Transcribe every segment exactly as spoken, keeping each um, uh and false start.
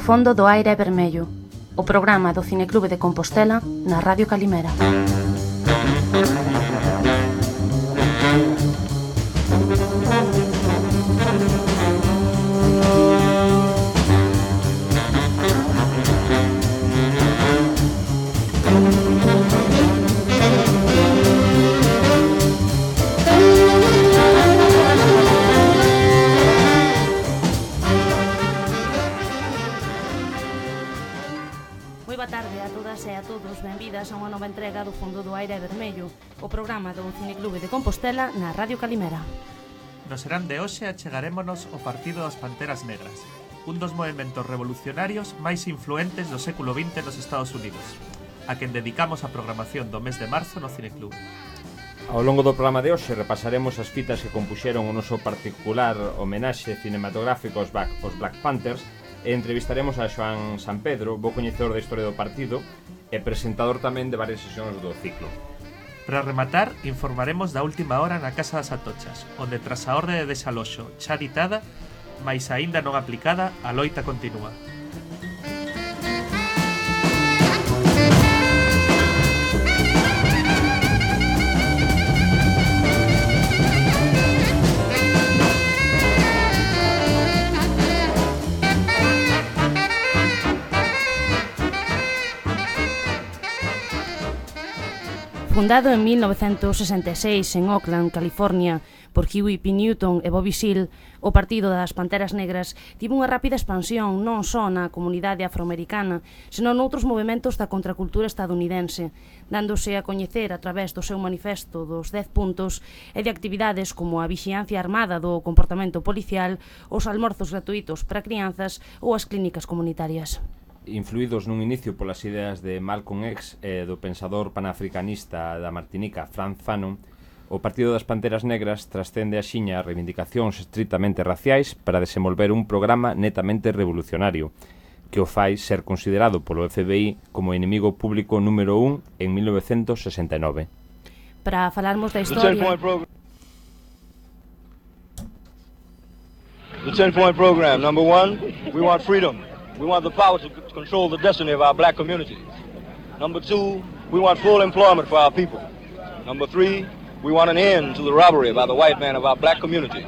fondo do aire é vermello, o programa do Cineclube de Compostela na Radio Calimera. E a todos, benvidas a unha nova entrega do Fondo do Aire Vermello, o programa do Cineclube de Compostela na Radio Calimera. No serán de hoxe achegarémonos ao Partido das Panteras Negras, un dos movementos revolucionarios máis influentes do século vinte nos Estados Unidos, a quen dedicamos a programación do mes de marzo no Cineclube. Ao longo do programa de hoxe repasaremos as fitas que compuxeron o noso particular homenaxe cinematográfico aos Black, aos Black Panthers, e entrevistaremos a Xoán San Pedro, bo coñecedor da historia do partido e presentador tamén de varias sesións do ciclo. Para rematar, informaremos da última hora na Casa das Atochas, onde tras a orde de desaloxo xa ditada, mais aínda non aplicada, a loita continúa. Fundado en mil novecentos sesenta e seis en Oakland, California, por Huey P. Newton e Bobby Seale, o Partido das Panteras Negras tivo unha rápida expansión non só na comunidade afroamericana, senón noutros movementos da contracultura estadounidense, dándose a coñecer a través do seu manifesto dos dez puntos e de actividades como a vixiancia armada do comportamento policial, os almorzos gratuitos para crianzas ou as clínicas comunitarias. Influídos nun inicio polas ideas de Malcolm X e do pensador panafricanista da Martinica, Frantz Fanon, o Partido das Panteras Negras trascende axiña a reivindicacións estritamente raciais para desenvolver un programa netamente revolucionario, que o fai ser considerado polo F B I como inimigo público número un en mil novecentos sesenta e nove. Para falarmos da historia... The ten-point program. Number one, we want freedom. We want the power to control the destiny of our black communities. Number two, we want full employment for our people. Number three, we want an end to the robbery by the white man of our black communities.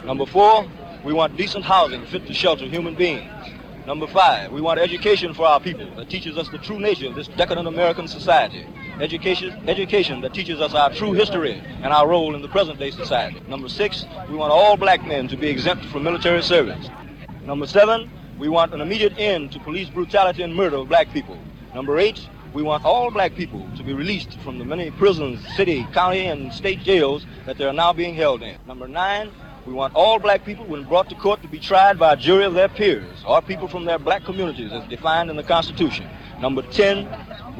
Number four, we want decent housing fit to shelter human beings. Number five, we want education for our people that teaches us the true nature of this decadent American society. Education, education that teaches us our true history and our role in the present-day society. Number six, we want all black men to be exempt from military service. Number seven, we want an immediate end to police brutality and murder of black people. Number eight, we want all black people to be released from the many prisons, city, county, and state jails that they are now being held in. Number nine, we want all black people, when brought to court, to be tried by a jury of their peers, or people from their black communities as defined in the Constitution. Number ten,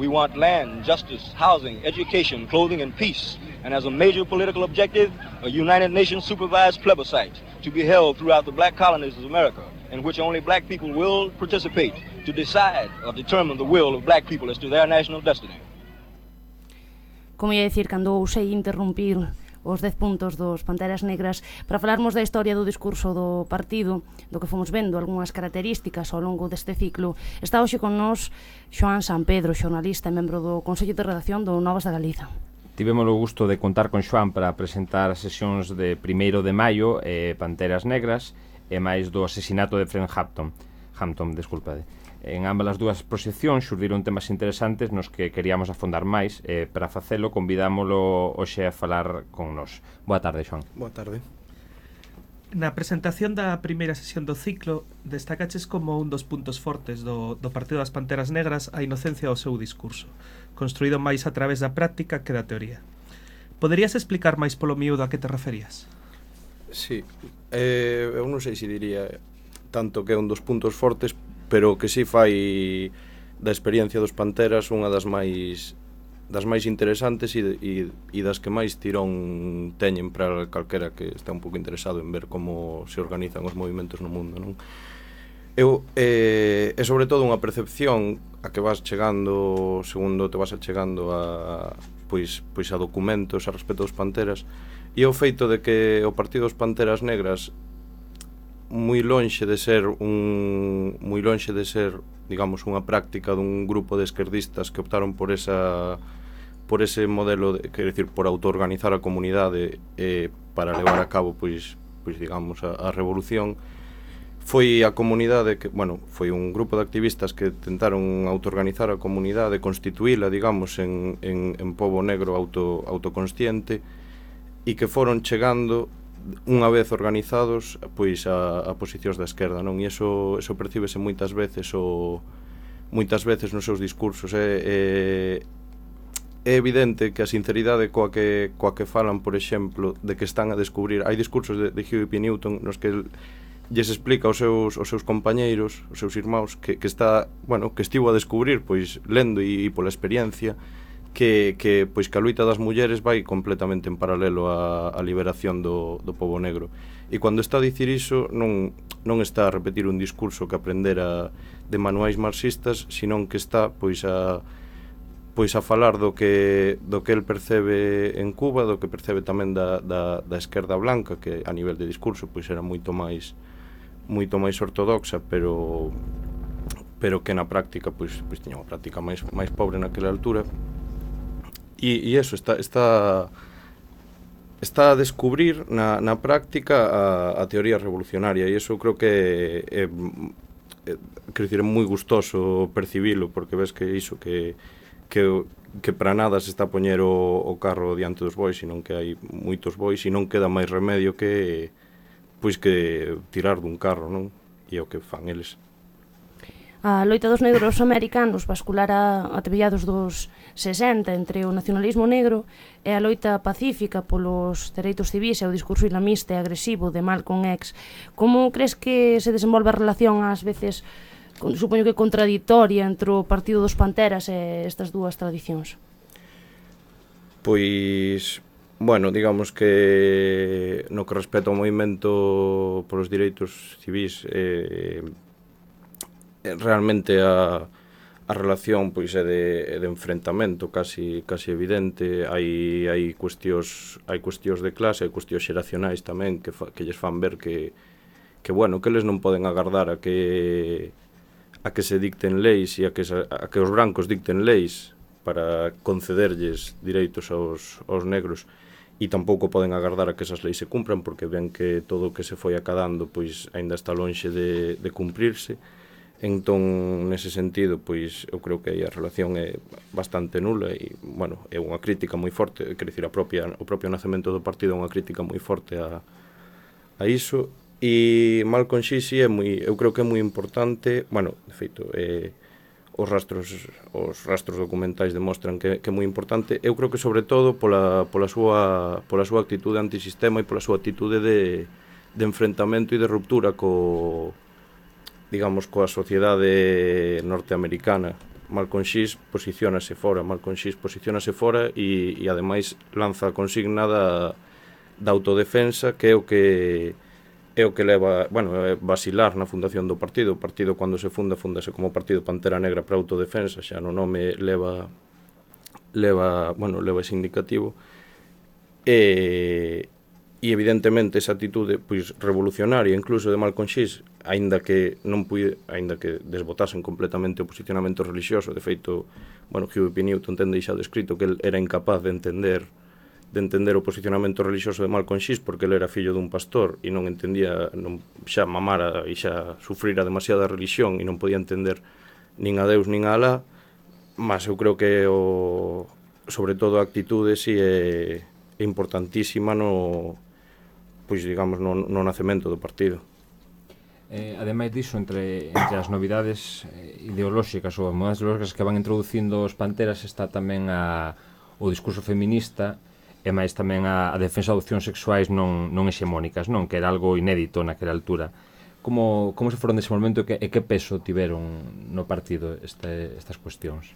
we want land, justice, housing, education, clothing, and peace. And as a major political objective, a United Nations supervised plebiscite to be held throughout the black colonies of America, in which only black people will participate to decide or determine the will of black people as to their national destiny. Como ia dicir, cando ousei interrumpir os dez puntos dos Panteras Negras para falarmos da historia do discurso do partido, do que fomos vendo algunhas características ao longo deste ciclo, está hoxe con nós Xoán San Pedro, xornalista e membro do Consello de Redacción do Novas da Galiza. Tivemos o gusto de contar con Xoán para presentar as sesións de primeiro de maio e Panteras Negras e máis do asesinato de Fred Hampton. Hampton, desculpade. En ambas as dúas proxeccións xurdiron temas interesantes nos que queríamos afondar máis e para facelo convidámolo hoxe a falar con nós. Boa tarde, Xoán. Boa tarde. Na presentación da primeira sesión do ciclo destacaches como un dos puntos fortes do, do Partido das Panteras Negras a inocencia do seu discurso, construído máis a través da práctica que da teoría. Poderías explicar máis polo miúdo a que te referías? Sí, eh, eu non sei se diría tanto que é un dos puntos fortes, pero que si fai da experiencia dos Panteras unha das máis das máis interesantes e, e, e das que máis tirón teñen para calquera que está un pouco interesado en ver como se organizan os movimentos no mundo, non? Eu, eh, é sobre todo unha percepción a que vas chegando, segundo te vas chegando a, pois, pois a documentos a respecto dos Panteras, e o feito de que o Partido dos Panteras Negras moi lonxe de ser un moi lonxe de ser, digamos, unha práctica dun grupo de esquerdistas que optaron por esa por ese modelo, de, quer decir, por autoorganizar a comunidade eh, para levar a cabo, pois, pois digamos, a, a revolución. Foi a comunidade que, bueno, foi un grupo de activistas que tentaron autoorganizar a comunidade, constituíla, digamos, en, en, en pobo negro auto, autoconsciente, e que foron chegando unha vez organizados pois a, a posicións da esquerda, non? E iso, iso percíbese moitas veces o moitas veces nos seus discursos. É, é, é evidente que a sinceridade coa que, coa que falan, por exemplo, de que están a descubrir, hai discursos de, de Huey P. Newton nos que lles explica aos seus, aos seus compañeiros, aos seus irmãos, que, que está, bueno, que estivo a descubrir, pois, lendo e, e pola experiencia, que, que, pois, que a loita das mulleres vai completamente en paralelo á, á liberación do, do pobo negro. E cando está a dicir iso, non, non está a repetir un discurso que aprendera de manuais marxistas, senón que está, pois, a pois a falar do que do que el percebe en Cuba, do que percebe tamén da, da, da esquerda blanca, que a nivel de discurso pois era moito máis moito máis ortodoxa, pero pero que na práctica pois pois tiña unha práctica máis máis pobre naquela altura. E, e eso, está, está, está a descubrir na, na práctica a, a teoría revolucionaria, e iso creo que é, é, é, quero dicir, é moi gustoso percibilo, porque ves que iso, que, que, que para nada se está a poñer o, o carro diante dos bois, senón que hai moitos bois, e non queda máis remedio que, pois, que tirar dun carro, non? E é o que fan eles. A loita dos negros americanos basculara a mediados dos sesenta entre o nacionalismo negro e a loita pacífica polos dereitos civis e o discurso islamista e agresivo de Malcolm X. Como crees que se desenvolve a relación ás veces, supoño que contradictoria, entre o Partido dos Panteras e estas dúas tradicións? Pois, bueno, digamos que no que respecta ao movimento polos direitos civis, eh, realmente a, a relación pois é de, de enfrentamento casi casi evidente. Hai hai cuestións hai cuestións de clase, hai cuestións xeracionais tamén que fa, que lles fan ver que que bueno, que eles non poden agardar a que a que se dicten leis e a que a que os brancos dicten leis para concederlles direitos aos aos negros, e tampouco poden agardar a que esas leis se cumpran, porque ven que todo o que se foi acadando pois aínda está lonxe de, de cumprirse. Entón, nese sentido, pois, eu creo que aí a relación é bastante nula e, bueno, é unha crítica moi forte, quer dicir, a propia, o propio nacemento do partido é unha crítica moi forte a, a iso. E Malcolm X é moi, eu creo que é moi importante, bueno, de feito, é, os rastros os rastros documentais demostran que, que é moi importante. Eu creo que sobre todo pola, pola, súa, pola súa actitude antisistema e pola súa actitude de, de enfrentamento e de ruptura co digamos, coa sociedade norteamericana. Malcolm X posiciónase fora, Malcolm X posiciónase fora e, e ademais lanza a consigna da, da autodefensa, que é o que é o que leva, bueno, é vacilar na fundación do partido. O partido, cando se funda, fundase como Partido Pantera Negra para Autodefensa, xa no nome leva leva, bueno, leva ese indicativo. E E evidentemente esa actitude pois revolucionaria incluso de Malcolm X, aínda que non puide, aínda que desbotasen completamente o posicionamento religioso, de feito, bueno, Huey P. Newton ten deixado escrito que el era incapaz de entender de entender o posicionamento religioso de Malcolm X porque ele era fillo dun pastor e non entendía, non, xa mamara e xa sufrira demasiada religión e non podía entender nin a Deus nin a Alá, mas eu creo que o, sobre todo a actitude si é, é importantísima no pois digamos no, no nacemento do partido. Eh, ademais diso, entre, entre as novidades ideolóxicas ou as modas ideolóxicas que van introducindo os Panteras está tamén a, o discurso feminista e máis tamén a, a defensa de opcións sexuais non, non hexemónicas, non? Que era algo inédito naquela altura. Como, como se foron dese momento e que, e que peso tiveron no partido este, estas cuestións?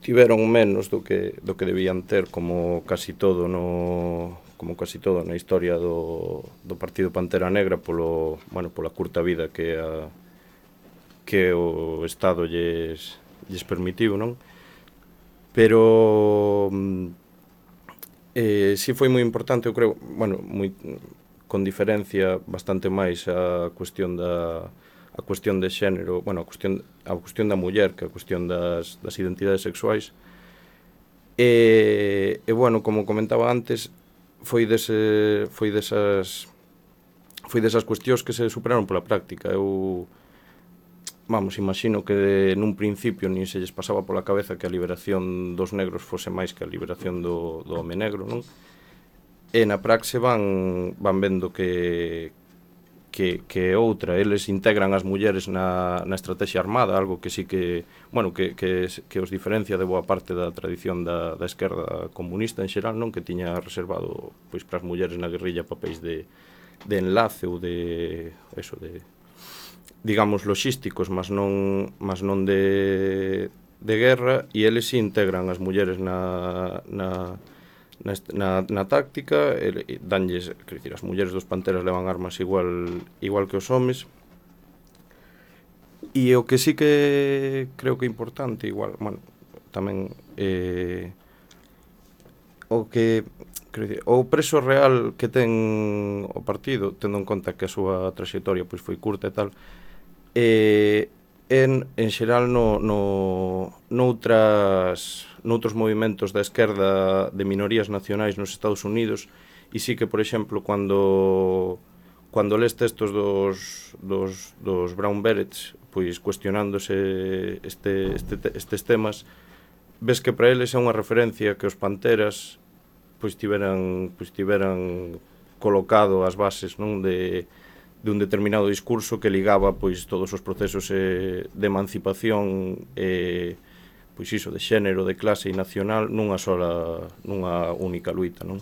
Tiveron menos do que, do que debían ter, como casi todo no... como casi todo na historia do, do Partido Pantera Negra polo, bueno, pola curta vida que a, que o Estado lles, lles permitiu, non? Pero eh, si foi moi importante, eu creo, bueno, moi, con diferencia bastante máis a cuestión da a cuestión de xénero, bueno, a cuestión a cuestión da muller que a cuestión das das identidades sexuais. E, e bueno, como comentaba antes, foi dese foi desas foi desas cuestións que se superaron pola práctica. Eu vamos, imagino que nun principio nin se lles pasaba pola cabeza que a liberación dos negros fose máis que a liberación do, do home negro, non? E na praxe van van vendo que que, que outra, eles integran as mulleres na, na estrategia armada, algo que sí que, bueno, que, que, que os diferencia de boa parte da tradición da, da esquerda comunista en xeral, non? Que tiña reservado pois para as mulleres na guerrilla papéis de, de enlace ou de, eso, de, digamos, logísticos, mas non, mas non de, de guerra, e eles sí integran as mulleres na, na Na, na, na táctica, e, e danlles, quer dicir, as mulleres dos panteras levan armas igual igual que os homes. E o que sí que creo que é importante, igual, bueno, tamén eh, o que, quer dicir, o preso real que ten o partido, tendo en conta que a súa traxectoria pois foi curta e tal, eh, en, en xeral no, no, noutras, noutros movimentos da esquerda de minorías nacionais nos Estados Unidos, e sí que, por exemplo, cando cando les textos dos, dos, dos Brown Berets, pois cuestionándose este, este, estes temas, ves que para eles é unha referencia que os panteras pois tiveran, pois tiveran colocado as bases, non, de de un determinado discurso que ligaba pois todos os procesos eh, de emancipación e eh, pois iso de xénero, de clase e nacional nunha sola, nunha única luita, non?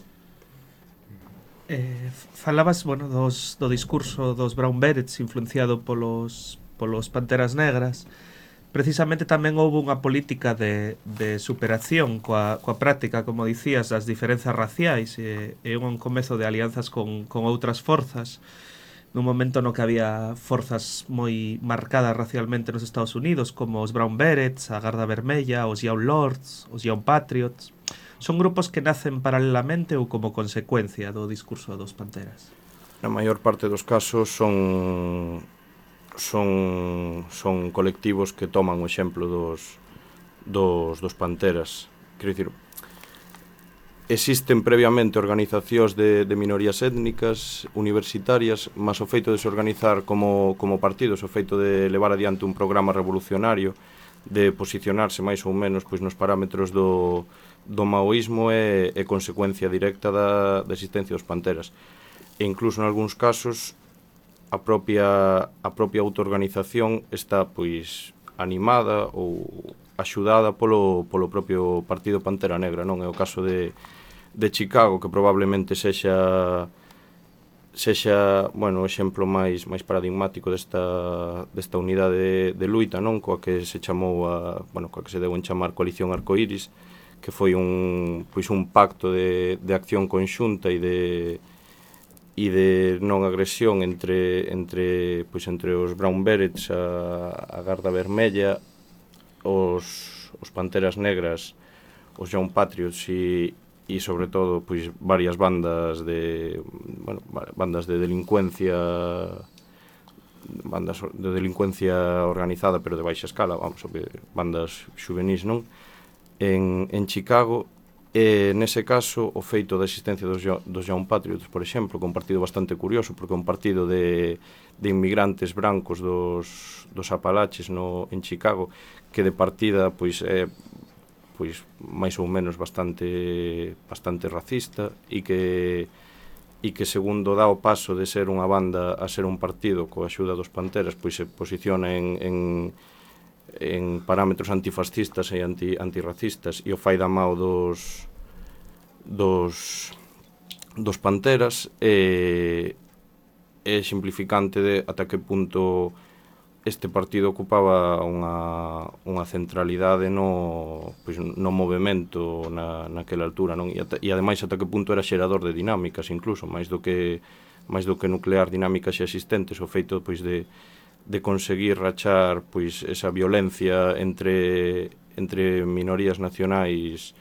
Eh, falabas, bueno, dos, do discurso dos Brown Berets influenciado polos, polos Panteras Negras. Precisamente tamén houve unha política de, de superación coa, coa práctica, como dicías, das diferenzas raciais e, e un comezo de alianzas con, con outras forzas nun momento no que había forzas moi marcadas racialmente nos Estados Unidos, como os Brown Berets, a Garda Vermella, os Young Lords, os Young Patriots. Son grupos que nacen paralelamente ou como consecuencia do discurso dos Panteras? Na maior parte dos casos son son son colectivos que toman o exemplo dos dos dos Panteras. Quero dicir, existen previamente organizacións de, de minorías étnicas, universitarias, mas o feito de se organizar como, como partidos, o feito de levar adiante un programa revolucionario, de posicionarse máis ou menos pois, nos parámetros do, do maoísmo é, é consecuencia directa da, da existencia dos Panteras. E incluso en algúns casos a propia, a propia autoorganización está pois animada ou axudada polo, polo propio Partido Pantera Negra, non? É o caso de, de Chicago, que probablemente sexa sexa, bueno, o exemplo máis máis paradigmático desta desta unidade de, de luita, non? Coa que se chamou a, bueno, coa que se deu en chamar Coalición Arcoíris, que foi un pois un pacto de de acción conxunta e de e de non agresión entre entre pois entre os Brown Berets, a, a Garda Vermella, os, os Panteras Negras, os Young Patriots e, e sobre todo pois varias bandas de, bueno, bandas de delincuencia bandas de delincuencia organizada pero de baixa escala, vamos, bandas xuvenís, non? En, en Chicago, e nese caso o feito da existencia dos, dos Young Patriots, por exemplo, que é un partido bastante curioso porque é un partido de, de inmigrantes brancos dos, dos Apalaches no, en Chicago, que de partida pois é pois máis ou menos bastante bastante racista e que e que segundo dá o paso de ser unha banda a ser un partido coa axuda dos Panteras, pois se posiciona en, en, en parámetros antifascistas e anti, antirracistas e o fai da mao dos dos dos Panteras e é simplificante de ata que punto este partido ocupaba unha, unha centralidade no, pois, no movimento na, naquela altura, non? E, ata, e ademais ata que punto era xerador de dinámicas incluso, máis do que máis do que nuclear dinámicas xa existentes, o feito pois de, de conseguir rachar pois esa violencia entre entre minorías nacionais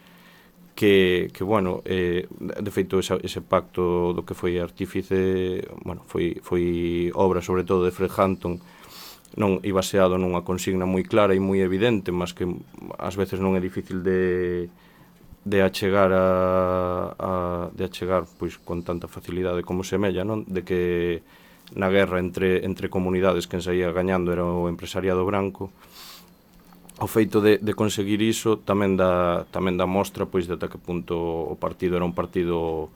que, que bueno, eh, de feito esa, ese pacto do que foi artífice, bueno, foi, foi obra sobre todo de Fred Hampton, non e baseado nunha consigna moi clara e moi evidente, mas que ás veces non é difícil de de achegar a, a de achegar pois con tanta facilidade como semella, non? De que na guerra entre entre comunidades quen saía gañando era o empresariado branco. O feito de, de conseguir iso tamén dá, tamén dá mostra pois de ata que punto o partido era un partido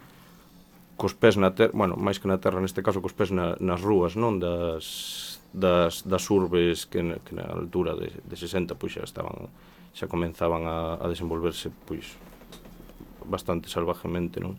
cos pés na terra, bueno, máis que na terra neste caso cos pés na, nas rúas, non, das, das, das urbes que, que na altura de, de sesenta pois xa estaban, xa comenzaban a, a desenvolverse pois bastante salvajemente, non?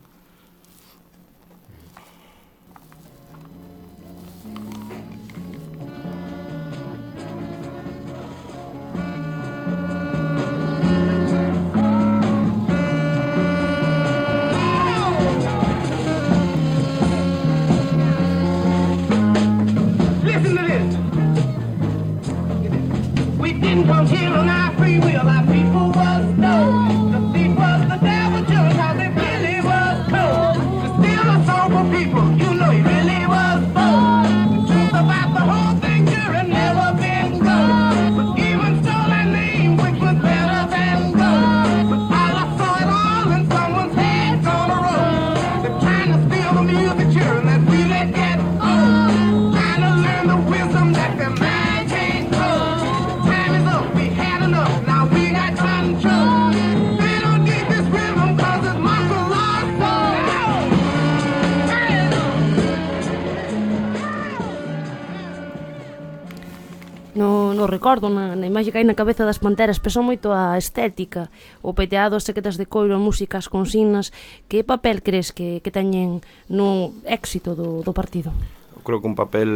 Recordo na, na imaxe que hai na cabeza das Panteras, pesou moito a estética, o peteado, as sequetas de coiro, a música, as consignas. Que papel crees que, que teñen no éxito do, do partido? Eu creo que un papel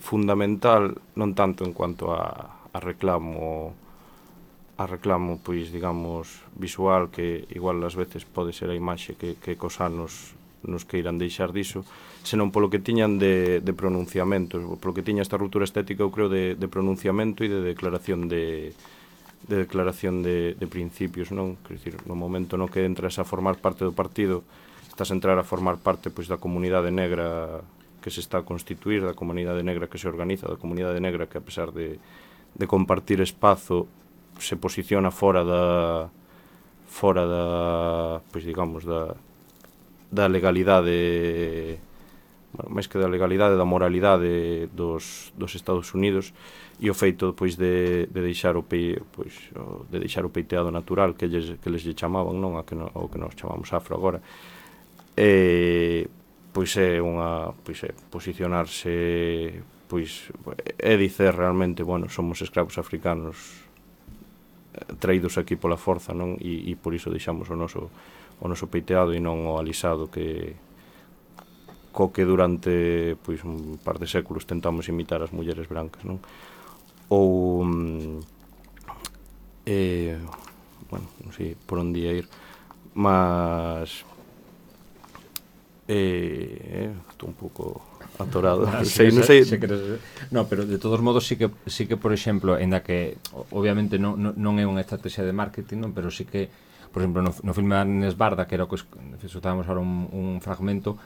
fundamental, non tanto en cuanto a, a reclamo a reclamo, pois, digamos, visual, que igual ás veces pode ser a imaxe que, que cos anos nos queiran deixar diso, senón polo que tiñan de, de pronunciamentos, polo que tiña esta ruptura estética, eu creo, de, de pronunciamento e de declaración de, de declaración de, de principios, non? Quer dicir, no momento no que entras a formar parte do partido, estás a entrar a formar parte pois da comunidade negra que se está a constituir, da comunidade negra que se organiza, da comunidade negra que, a pesar de, de compartir espazo, se posiciona fora da fora da, pois digamos, da da legalidade, bueno, máis que da legalidade, da moralidade dos, dos Estados Unidos, e o feito pois de, de deixar o pe, pois o, de deixar o peiteado natural que lles que les lle chamaban, non, a que no, o que nos chamamos afro agora. E pois é unha, pois é posicionarse, pois é dicer realmente, bueno, somos escravos africanos traídos aquí pola forza, non? E, e por iso deixamos o noso o noso peiteado e non o alisado que co que durante pois un par de séculos tentamos imitar as mulleres brancas, non? Ou eh, bueno, non sei por onde ia ir, mas eh, estou un pouco atorado. Ah, sei, sí, non sei. Sí, queres... No, pero de todos modos sí que sí que por exemplo, ainda que obviamente non, non, non é unha estrategia de marketing, non, pero sí que por exemplo, no, no filme Agnes Barda, que era o que escutábamos ahora un, un fragmento,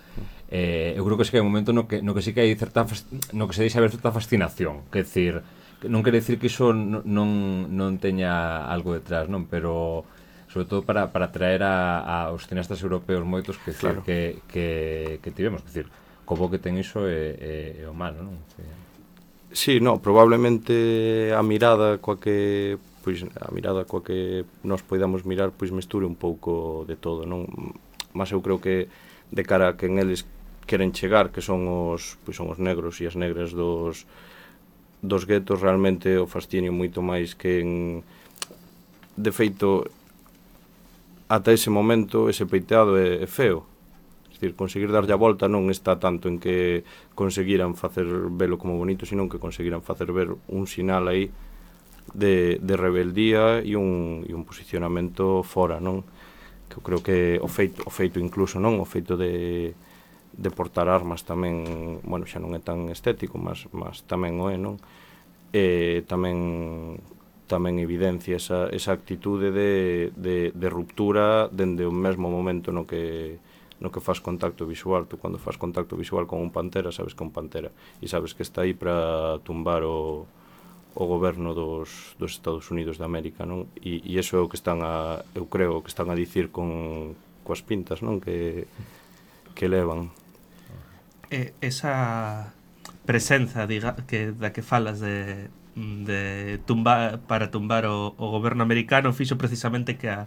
eh, eu creo que sí que hai un momento no que, no que sí que hai certa no que se deixa ver certa fascinación, que decir, non quere decir que iso non, non, non teña algo detrás, non, pero sobre todo para, para atraer a, a os cineastas europeos moitos que, claro, que, que, que tivemos, que decir, como que ten iso é, é, é o malo, non? Que... Sí, no, probablemente a mirada coa que pois a mirada coa que nós poidamos mirar pois mesture un pouco de todo, non? Mas eu creo que de cara a que en eles queren chegar, que son os pois son os negros e as negras dos dos guetos, realmente o fascinio moito máis que en de feito ata ese momento ese peiteado é, é feo. É dicir, conseguir darlle a volta non está tanto en que conseguiran facer velo como bonito, sino que conseguiran facer ver un sinal aí de, de rebeldía e un, e un posicionamento fora, non? Que eu creo que o feito, o feito incluso, non? O feito de, de portar armas tamén, bueno, xa non é tan estético, mas, mas tamén o é, non? E tamén tamén evidencia esa, esa actitude de, de, de ruptura dende o mesmo momento no que no que faz contacto visual. Tú cando faz contacto visual con un pantera, sabes que é un pantera e sabes que está aí para tumbar o, o goberno dos, dos Estados Unidos de América, non? E, e iso é o que están a, eu creo, que están a dicir con coas pintas, non? Que, que levan. Eh, esa presenza diga, que, da que falas de de tumbar, para tumbar o, o goberno americano fixo precisamente que a,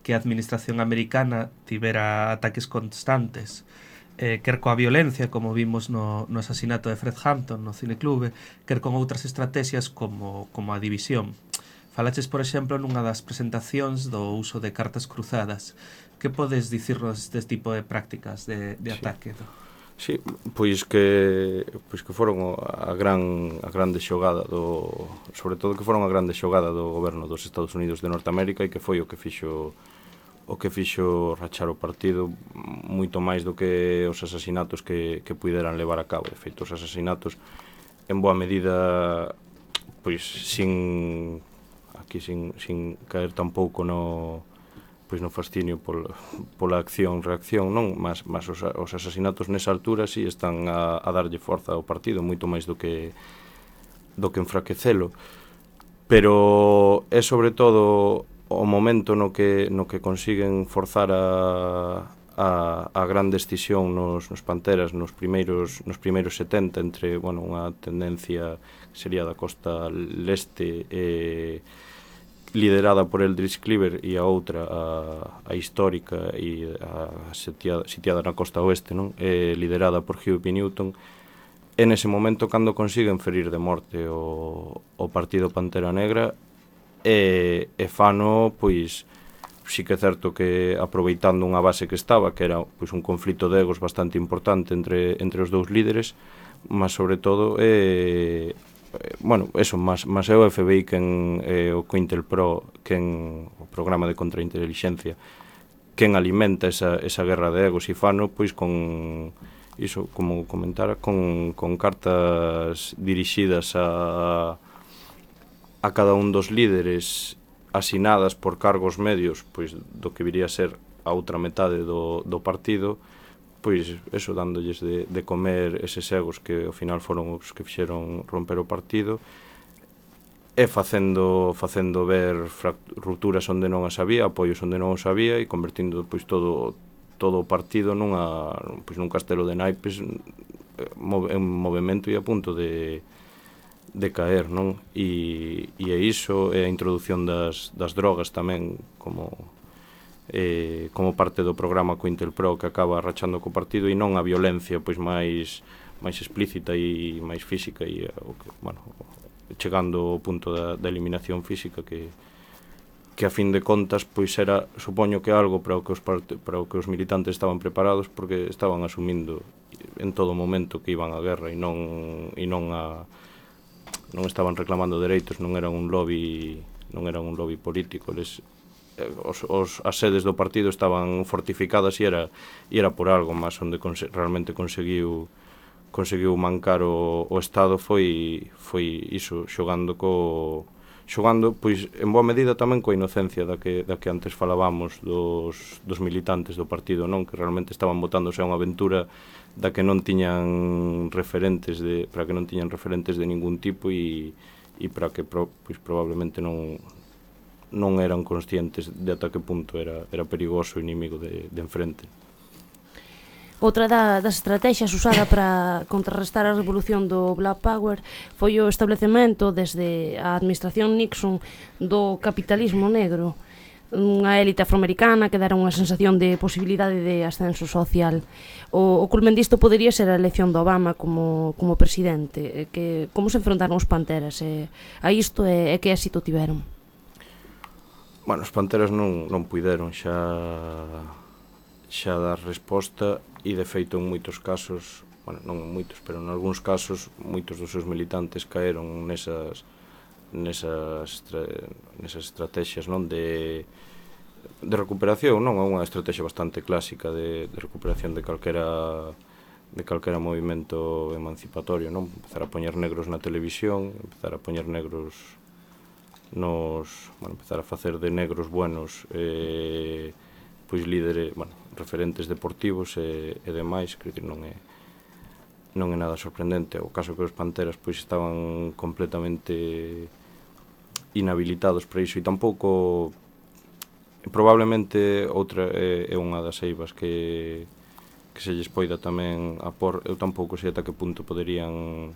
que a administración americana tivera ataques constantes, eh, quer coa violencia, como vimos no, no asasinato de Fred Hampton no cineclube, quer con outras estrategias como, como a división. Falaches, por exemplo, nunha das presentacións do uso de cartas cruzadas. Que podes dicirnos deste tipo de prácticas de, de sí. ataque? Sí, pois que pois que foron a gran a grande xogada do, sobre todo que foron a grande xogada do goberno dos Estados Unidos de Norteamérica e que foi o que fixo o que fixo rachar o partido moito máis do que os asasinatos que, que puderan levar a cabo. De feito, os asasinatos en boa medida pois sin aquí sin, sin caer tampouco no pois no fascinio pol, pola acción-reacción, non? Mas, mas os, os asasinatos nesa altura si sí están a, a darlle forza ao partido, moito máis do que do que enfraquecelo. Pero é sobre todo o momento no que no que consiguen forzar a a, a gran decisión nos, nos Panteras nos primeiros nos primeiros setenta, entre, bueno, unha tendencia que sería da costa leste e liderada por Eldridge Cleaver e a outra a, a histórica e a sitiada, sitiada na costa oeste, non? E liderada por Huey P. Newton. En ese momento cando consiguen ferir de morte o, o partido Pantera Negra e, e fano, pois sí que é certo que aproveitando unha base que estaba, que era pois un conflito de egos bastante importante entre, entre os dous líderes, mas sobre todo eh, bueno, eso, mas, mas é o F B I quen, eh, o COINTELPRO, quen, o programa de contrainteligencia, quen alimenta esa, esa guerra de egos, e fano, pois, con, iso, como comentara, con, con cartas dirixidas a, a cada un dos líderes, asinadas por cargos medios, pois, do que viría a ser a outra metade do, do partido, pois eso, dándolles de, de comer eses egos que ao final foron os que fixeron romper o partido e facendo facendo ver rupturas onde non as había, apoios onde non os había e convertindo pois todo todo o partido nunha pois nun castelo de naipes en movimento e a punto de de caer, non? E, e é iso, é a introdución das, das drogas tamén como Eh, como parte do programa COINTELPRO que acaba rachando co partido e non a violencia pois máis máis explícita e máis física e o que, bueno, chegando ao punto da, da eliminación física que que a fin de contas pois era, supoño que algo para o que os parte, para o que os militantes estaban preparados, porque estaban asumindo en todo momento que iban á guerra e non e non a non estaban reclamando dereitos, non eran un lobby, non eran un lobby político, eles Os, os, as sedes do partido estaban fortificadas e era, e era por algo máis onde conse, realmente conseguiu conseguiu mancar o, o Estado foi foi iso, xogando co xogando, pois, en boa medida tamén coa inocencia da que, da que antes falábamos dos, dos militantes do partido, non? Que realmente estaban botándose a unha aventura da que non tiñan referentes de, para que non tiñan referentes de ningún tipo e, e para que pro, pois, probablemente non non eran conscientes de ata que punto era, era perigoso o inimigo de, de enfrente. Outra da, das estrategias usada para contrarrestar a revolución do Black Power foi o establecemento desde a administración Nixon do capitalismo negro, unha élite afroamericana que dera unha sensación de posibilidade de ascenso social. O, o culmen disto podería ser a elección de Obama como, como presidente. Que, como se enfrontaron os Panteras e, a isto e, e que éxito tiveron? Bueno, os Panteras non, non puideron xa xa dar resposta e, de feito, en moitos casos, bueno, non en moitos, pero en algúns casos, moitos dos seus militantes caeron nesas nesas, nesas estrategias, non, de de recuperación, non, é unha estrategia bastante clásica de, de recuperación de calquera de calquera movimento emancipatorio, non? Empezar a poñer negros na televisión, empezar a poñer negros nos, bueno, empezar a facer de negros buenos eh, pois líderes, bueno, referentes deportivos e, e demais, creo que non é non é nada sorprendente. O caso que os Panteras pois estaban completamente inhabilitados para iso, e tampouco probablemente outra é, é unha das eivas que que se lles poida tamén apor. Eu tampouco sei ata que punto poderían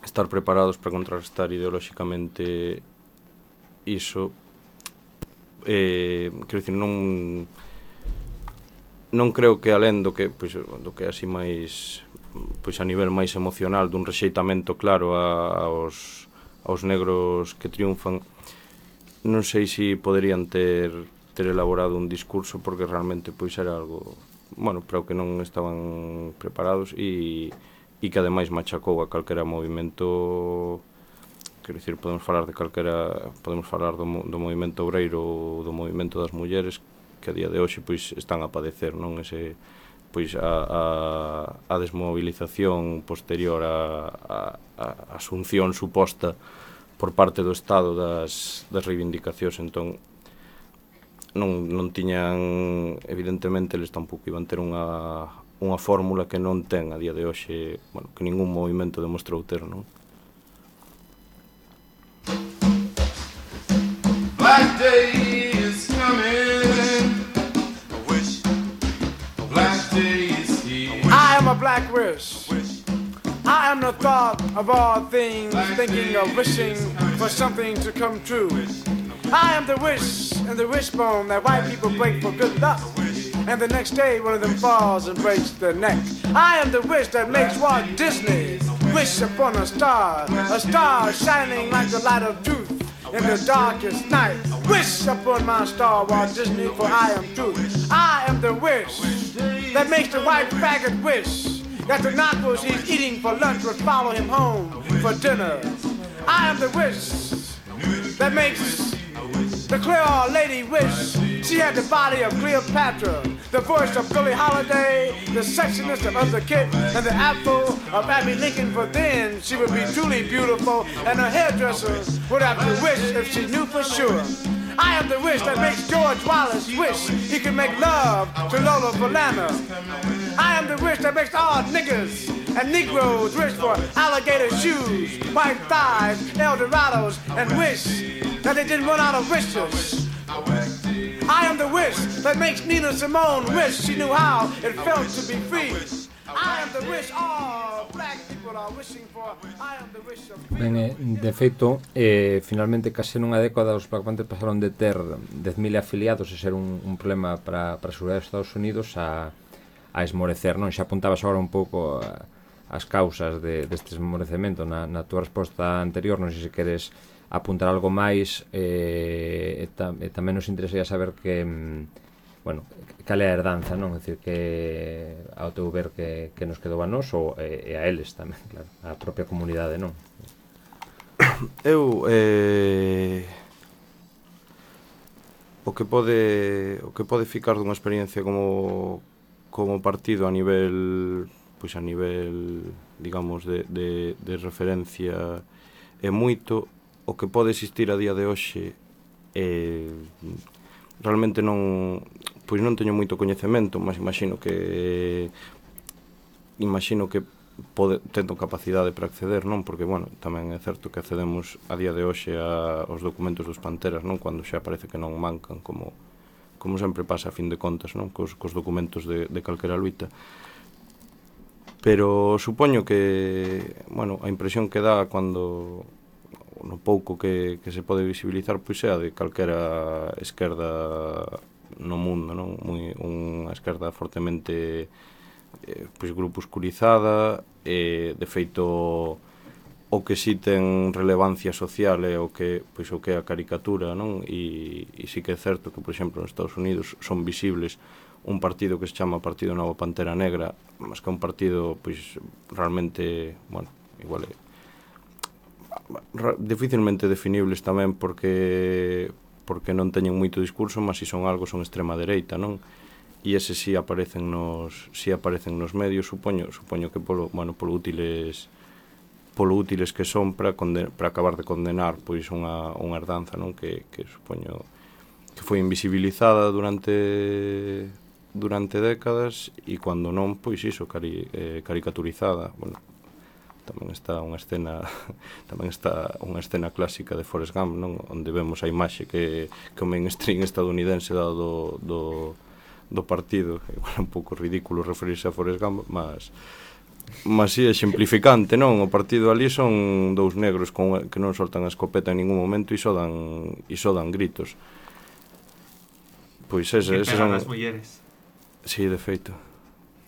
estar preparados para contrarrestar ideolóxicamente iso. Eh, quero dicir, non non creo que alén do que pois, do que así máis pois a nivel máis emocional dun rexeitamento claro a, aos, aos negros que triunfan, non sei se si poderían ter ter elaborado un discurso, porque realmente pois era algo, bueno, para o que non estaban preparados e, e que ademais machacou a calquera movimento. Quero dicir, podemos falar de calquera, podemos falar do, do movimento obreiro ou do movimento das mulleres, que a día de hoxe pois están a padecer, non, ese pois a, a, a desmovilización posterior a, a, a asunción suposta por parte do Estado das, das reivindicacións. Entón non, non tiñan, evidentemente eles tampouco iban ter unha, unha fórmula que non ten a día de hoxe, bueno, que ningún movimento demostrou ter, non? Black day is coming. I wish. Black day is here. I am a black wish. I am the thought of all things, thinking of wishing for something to come true. I am the wish and the wishbone that white people break for good luck, and the next day one of them falls and breaks their neck. I am the wish that makes Walt Disney wish upon a star, a star shining like the light of truth in the darkest night. Wish upon my star, Walt Disney, for I am truth. I am the wish that makes the white faggot wish that the nachos he's eating for lunch would follow him home for dinner. I am the wish that makes the Creole lady wish she had the body of Cleopatra, the voice of Billie Holiday, the sexiness of Eartha Kitt, and the apple of Abby Lincoln, for then she would be truly beautiful, and her hairdresser would have to wish if she knew for sure. I am the wish that makes George Wallace wish he could make love to Lola Falana. I am the wish that makes all niggers and Negroes wish for alligator shoes, white thighs, Eldorados, and wish that they didn't run out of wishes. I am the wish that makes Nina Simone wish she knew how it felt to be free. I am the wish all black people are wishing for. I am the wish of freedom. Ben, eh, de feito, eh, finalmente case nunha década os Black Panthers pasaron de ter dez mil afiliados e ser un, un problema para, para a seguridade dos Estados Unidos a, a esmorecer, non? Xa apuntabas agora un pouco a, as causas de, deste esmorecemento na, na tua resposta anterior, non sei se queres apuntar algo máis, eh, e, tam, e tamén nos interesaría saber que, bueno, cal é a herdanza, non? É dicir, que ao teu ver que, que nos quedou a nós ou e, e a eles tamén, claro, a propia comunidade, non? Eu eh, o que pode o que pode ficar dunha experiencia como como partido a nivel pois a nivel, digamos, de, de, de referencia é moito. O que pode existir a día de hoxe eh, realmente non, pois non teño moito coñecemento, mas imagino que imagino que pode, tendo capacidade para acceder, non? Porque, bueno, tamén é certo que accedemos a día de hoxe a, aos documentos dos Panteras, non? Cando xa parece que non mancan, como, como sempre pasa a fin de contas, non? Cos, cos documentos de, de calquera luita. Pero supoño que, bueno, a impresión que dá cando no pouco que, que se pode visibilizar, pois é a de calquera esquerda no mundo, non? Muy, unha esquerda fortemente eh, pois grupuscurizada, e de feito o que si ten relevancia social é o que, pois, o que é a caricatura, non? E, e si que é certo que, por exemplo, nos Estados Unidos son visibles un partido que se chama Partido Nova Pantera Negra, mas que é un partido, pois, realmente, bueno, igual é dificilmente definibles tamén, porque porque non teñen moito discurso, mas si son algo son extrema dereita, non? E ese si aparecen nos si aparecen nos medios, supoño, supoño que polo, bueno, polo útiles polo útiles que son para, para acabar de condenar pois unha, unha herdanza, non? Que, que supoño que foi invisibilizada durante durante décadas e cando non, pois iso, cari, eh, caricaturizada. Bueno, tamén está unha escena tamén está unha escena clásica de Forrest Gump, non? Onde vemos a imaxe que, que o mainstream estadounidense dado do, do, do partido. Igual é un pouco ridículo referirse a Forrest Gump, mas mas si, exemplificante, non? O partido ali son dous negros con, que non soltan a escopeta en ningún momento e só dan, e só dan gritos. Pois ese, que ese pegan son... as mulleres. Sí, de feito.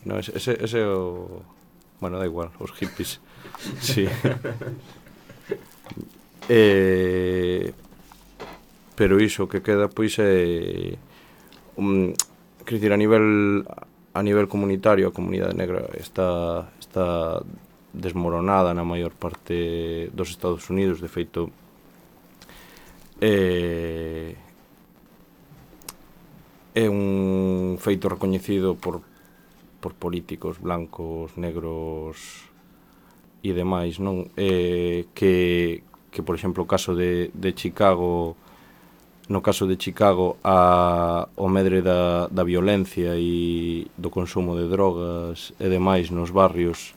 No, ese, ese, ese é o... Bueno, da igual, os hippies. Sí. eh, pero iso que queda, pois, é... Um, quer dizer, a nivel a nivel comunitario, a comunidade negra está, está desmoronada na maior parte dos Estados Unidos. De feito, eh, é un feito recoñecido por, por políticos blancos, negros e demais, non? Eh, que, que, por exemplo, o caso de, de Chicago, no caso de Chicago, a, o medre da, da violencia e do consumo de drogas e demais nos barrios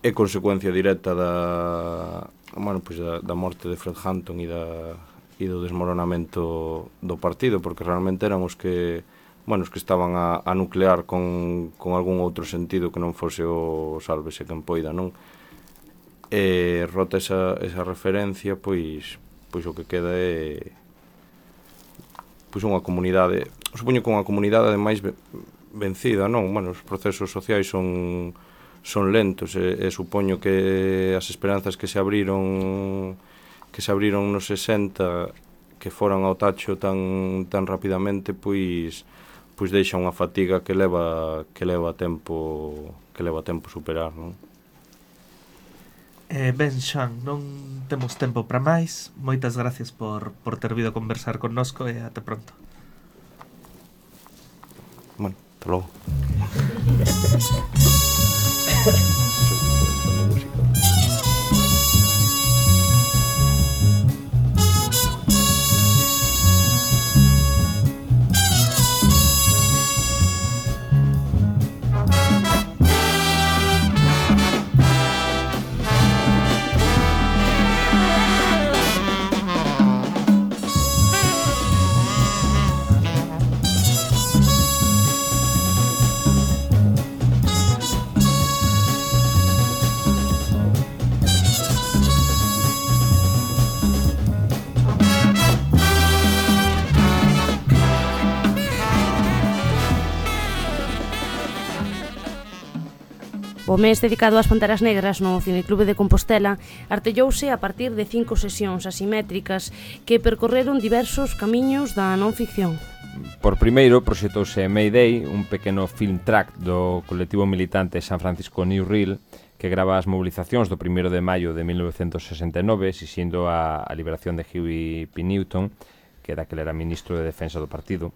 é consecuencia directa da, bueno, pois da, da morte de Fred Hampton e da e do desmoronamento do partido, porque realmente eran os que, bueno, os que estaban a, a nuclear con, con algún outro sentido que non fose o sálvese quen poida, non? E rota esa, esa referencia, pois pois o que queda é pois unha comunidade, supoño que unha comunidade ademais vencida, non? Bueno, os procesos sociais son son lentos e, e supoño que as esperanzas que se abriron que se abriron nos sesenta, que foran ao tacho tan tan rapidamente, pois pois deixa unha fatiga que leva que leva tempo que leva tempo superar, non? Eh, ben, Xan, non temos tempo para máis. Moitas gracias por, por ter vido a conversar connosco e até pronto. Bueno, hasta logo. O mes dedicado ás Panteras Negras no Cineclube de Compostela artellouse a partir de cinco sesións asimétricas que percorreron diversos camiños da non ficción. Por primeiro, proxetouse Mayday, un pequeno film track do colectivo militante San Francisco New Reel, que grava as mobilizacións do primeiro de maio de mil novecentos sesenta e nove, exixindo a, a liberación de Huey P. Newton, que daquel era ministro de Defensa do partido.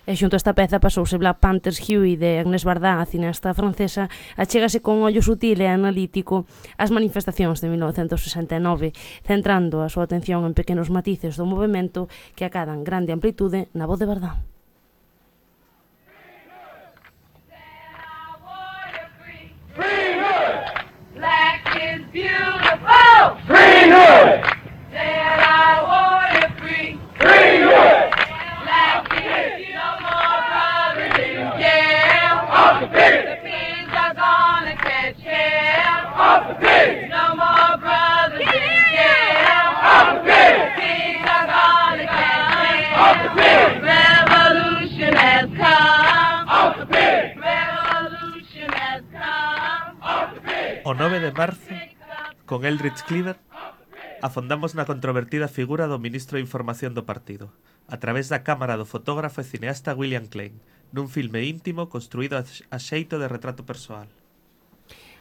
E xunto a esta peza pasouse Black Panthers Huey de Agnès Varda, a cineasta francesa, achégase con ollo sutil e analítico ás manifestacións de mil novecentos sesenta e nove, centrando a súa atención en pequenos matices do movemento que acadan grande amplitude na voz de Varda. Black is beautiful. Free Hood. Said I want you free. Free Hood. Black is no more brothers in jail. Off the pig. The pigs are gonna catch hell. Off the pig. No more brothers in jail. Off the pig. The pigs are gonna catch hell. Off the pig. Revolution has come. Off the pig. Revolution has come. Off the pig. O nove de marzo, con Eldridge Cleaver, afondamos na controvertida figura do ministro de Información do partido, a través da cámara do fotógrafo e cineasta William Klein, nun filme íntimo construído a xeito de retrato persoal.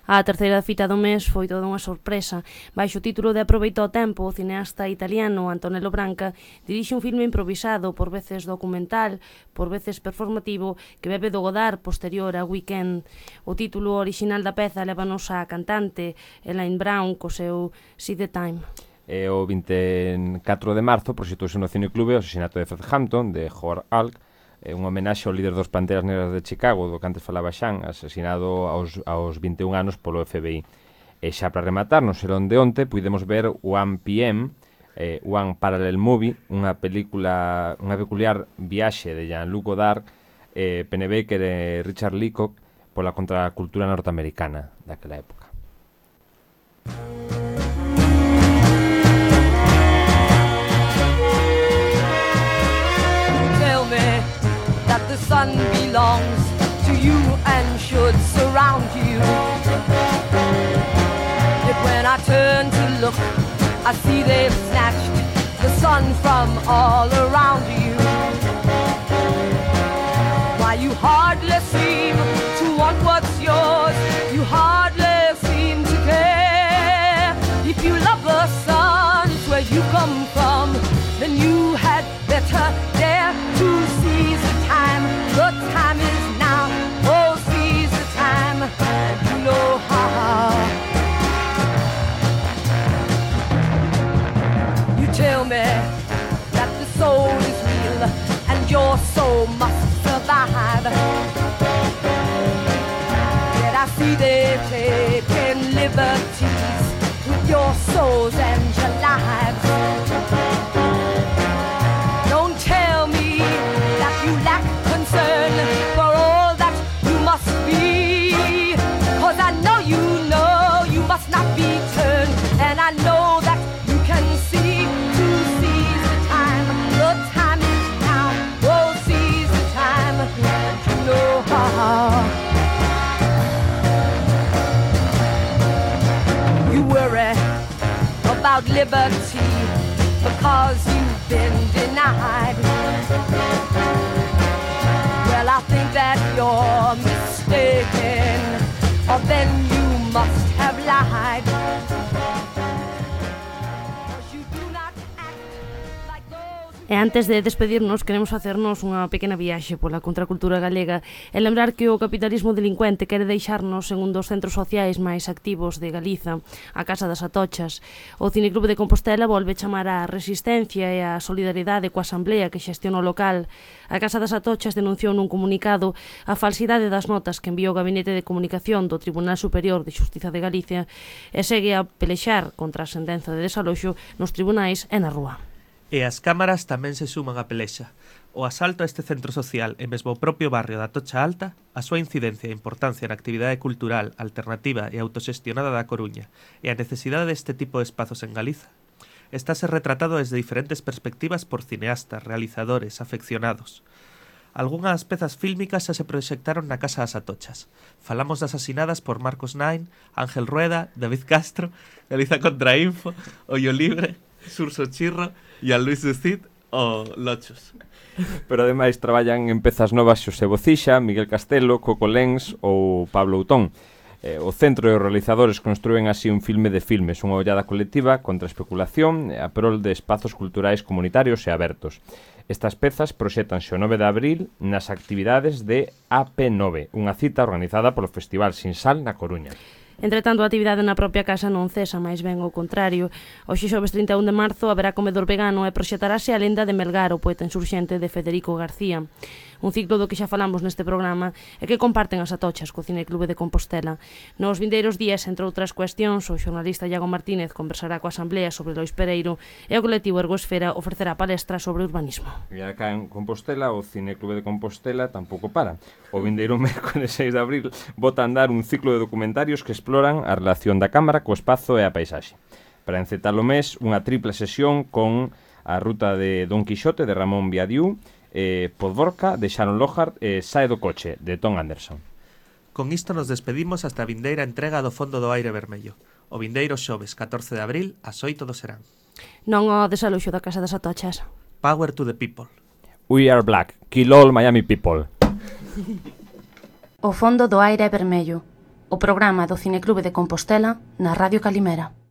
A terceira fita do mes foi toda unha sorpresa. Baixo o título de Aproveita o tempo, o cineasta italiano Antonello Branca dirixe un filme improvisado, por veces documental, por veces performativo, que bebe do Godard posterior a Weekend. O título original da peza lévanos á cantante Elaine Brown co seu See the Time. E o vinte e catro de marzo proxectouse no Cineclube o asesinato de Fred Hampton, de Howard Hawks, un homenaxe ao líder dos Panteras Negras de Chicago, do que antes falaba Xan, asesinado aos, aos vinte e un anos polo F B I. E xa para rematar, no serón de onte, pudemos ver one P M, eh, One Parallel Movie, unha película, unha peculiar viaxe de Jean-Luc Godard, eh, Pennebaker e Richard Leacock pola contracultura norteamericana daquela época. The sun belongs to you and should surround you. Yet when I turn to look, I see they've snatched the sun from all around you. Why you hardly seem to want what's yours, you hardly seem to care. If you love the sun, it's where you come from, then you had better dare to seize the time. The time is now, oh seize the time, and you know how. You tell me that the soul is real and your soul must survive. Yet I see they've taken liberties with your souls and your lives. Don't tell me that you lack concern for all that you must be, 'cause I know you know you must not be turned, and I know that you can see to seize the time. The time is now, oh seize the time, and you know how. You worry about liberty because you've been denied. Well, I think that you're mistaken, or then you must have lied. 'Cause you do not act like those who... E antes de despedirnos, queremos facernos unha pequena viaxe pola contracultura galega e lembrar que o capitalismo delincuente quere deixarnos en un dos centros sociais máis activos de Galiza, a Casa das Atochas. O Cineclube de Compostela volve chamar á resistencia e á solidaridade coa asamblea que xestiona o local. A Casa das Atochas denunciou nun comunicado a falsidade das notas que enviou o Gabinete de Comunicación do Tribunal Superior de Xustiza de Galicia e segue a pelexar contra a sentenza de desaloxo nos tribunais e na rúa. E as cámaras tamén se suman á pelexa. O asalto a este centro social e mesmo o propio barrio da Atocha Alta, a súa incidencia e importancia na actividade cultural, alternativa e autoxestionada da Coruña e a necesidade deste tipo de espazos en Galiza, estáse retratado desde diferentes perspectivas por cineastas, realizadores, afeccionados. Algunhas pezas fílmicas xa se proxectaron na Casa das Atochas. Falamos das asinadas por Marcos Nain, Ángel Rueda, David Castro, Galiza Contrainfo, Ollo Libre, Surso Chirro e a Luis Ducit o Lochos. Pero ademais traballan en pezas novas Xosé Bocixa, Miguel Castelo, Coco Lens ou Pablo Outón. Eh, o centro e os realizadores construen así un filme de filmes, unha ollada colectiva contra a especulación e a prol de espazos culturais comunitarios e abertos. Estas pezas proxétanse o nove de abril nas actividades de A P nove, unha cita organizada polo Festival Sin Sal na Coruña. Entretanto, a actividade na propia casa non cesa, máis ben ao contrario. Hoxe xoves trinta e un de marzo haberá comedor vegano e proxetarase a lenda de Melgar, o poeta insurxente de Federico García. Un ciclo do que xa falamos neste programa e que comparten as Atochas co Cineclube de Compostela. Nos vindeiros días, entre outras cuestións, o xornalista Iago Martínez conversará coa Asamblea sobre Lois Pereiro e o colectivo Ergosfera ofrecerá palestra sobre urbanismo. E acá en Compostela, o Cineclube de Compostela tampouco para. O vindeiro mércoles seis de abril bota a andar un ciclo de documentarios que exploran a relación da cámara co espazo e a paisaxe. Para encetar o mes, unha tripla sesión con a ruta de Don Quixote de Ramón Viadiu, eh, Podvorca de Sharon Lohart e Sae do Coche de Tom Anderson. Con isto nos despedimos hasta a vindeira entrega do Fondo do Aire Vermello. O vindeiro xoves catorce de abril ás oito do serán. Non o desaloxo da Casa das Atochas. Power to the people. We are black. Kill all Miami people. O Fondo do Aire Vermello. o programa do Cineclube de Compostela na Radio Calimera.